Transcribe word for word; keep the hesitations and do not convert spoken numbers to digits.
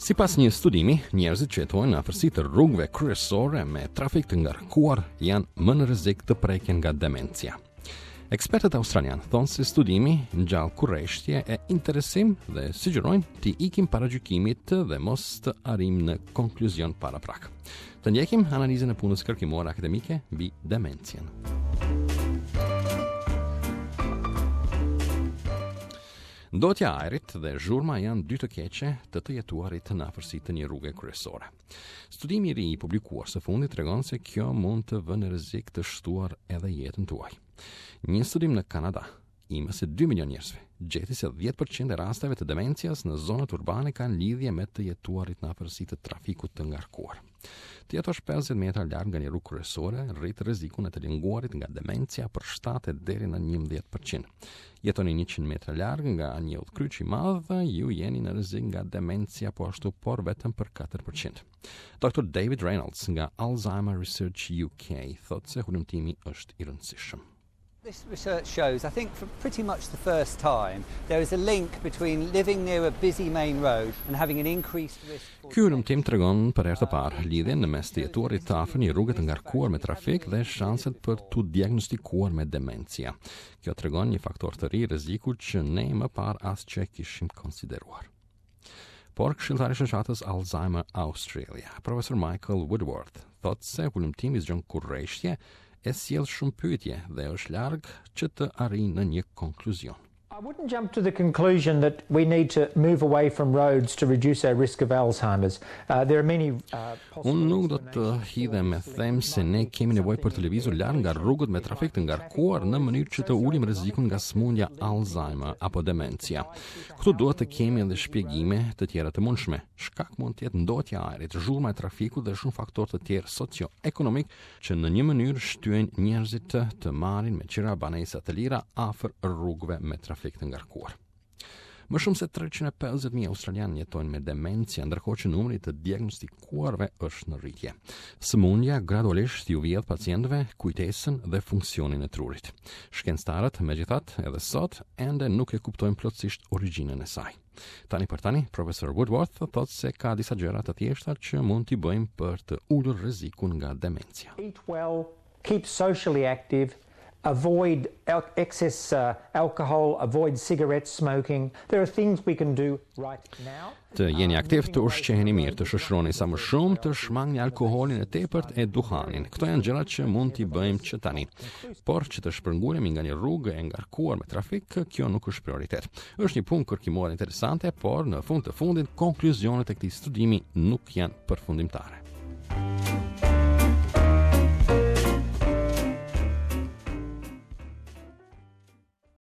Sipas një studimi, njerëzit që jetojnë në afërsi të rrugëve kryesore me trafik të ngarkuar janë më në rrezik të preken nga demencia. Ekspertët australianë thonë se studimi ngjall kureshtje e interesim dhe sugjerojnë t'i ikim paragjykimit dhe mos të arrijmë në konkluzion paraprak. Të ndjekim analizën e punës kërkimore akademike mbi demencien. Ndotja e ajrit dhe zhurma janë dy të keqe të të jetuarit në afërsi të një rruge kryesore. Studimi i ri i publikuar së fundi tregon se kjo mund të vë në rrezik të shtuar edhe jetën tuaj. Një studim në Kanada i më se dy milion njerëzve gjeti se dhjetë përqind e rasteve të demencias në zonat urbane kanë lidhje me të jetuarit në afërsi të trafikut të ngarkuar. Të jetosh pesëdhjetë metra larg nga një rrugë kryesore rrit rrezikun e të lënguarit nga demencia për shtatë deri në njëmbëdhjetë përqind. Jetoni njëqind metra larg nga një udhkryq i madh, ju jeni në rrezik nga demencia po ashtu, por vetëm për katër përqind. Doktor David Reynolds nga Alzheimer Research U K thotë se hulumtimi është i rëndësishëm. This research shows, I think for pretty much the first time, there is a link between living near a busy main road and having an increased risk for Ky hulumtim tregon për herë të parë lidhjen në mes të jetuarit të afër një rruge të ngarkuar me trafik dhe shanset për t'u diagnostikuar me demencia. Kjo tregon një faktor të ri rreziku që ne më parë as që e kishim konsideruar. Por këshilltari i shoqatës Alzheimer Australia, profesor Michael Woodworth, thotë se hulumtimi zgjon kurreshtje e sjell shumë pyetje dhe është larg që të arrijë në një konkluzion. I wouldn't jump to the conclusion that we need to move away from roads to reduce our risk of Alzheimer's. Uh, there are many, uh, possible Unë nuk do të explanations hidhem me for this them link. se ne kemi nevojë për të lëvizur larg nga rrugët me trafik të ngarkuar në mënyrë që të ulim rrezikun nga sëmundja Alzheimer apo demencia. Këtu duhet të kemi edhe shpjegime të tjera të mundshme. Shkak mund të jetë ndotja e ajrit, zhurma e trafikut dhe shumë faktorë të tjerë socio-ekonomik që në një mënyrë shtyjnë njerëzit të, të marrin me qira banesa të lira afër rrugëve me trafik të ngarkuar. Më shumë se treqind e pesëdhjetë mijë australianë jetojnë me demencia, ndërkohë që numri i të diagnostikuarve është në rritje. Sëmundja gradualisht ju vjedh pacientëve kujtesën dhe funksionin e trurit. Shkencëtarët, megjithatë, edhe sot ende nuk e kuptojnë plotësisht origjinën e saj. Tani për tani, profesor Woodworth thotë se ka disa gjëra të thjeshta që mund t'i bëjmë për të ulur rrezikun nga demencia. Eat well, keep socially active, avoid al-, excess, uh, alcohol, avoid cigarette smoking. There are things we can do right now. Të jeni aktiv, të ushqeheni mirë, të shoqëroni sa më shumë, të shmangni alkoholin e tepërt e duhanin. Këto janë gjërat që mund t'i bëjmë që tani. Por që të shpërngulemi nga një rrugë e ngarkuar me trafik, kjo nuk është prioritet. Është një punë kërkimore interesante, por në fund të fundit konkluzionet e këtij studimi nuk janë përfundimtare.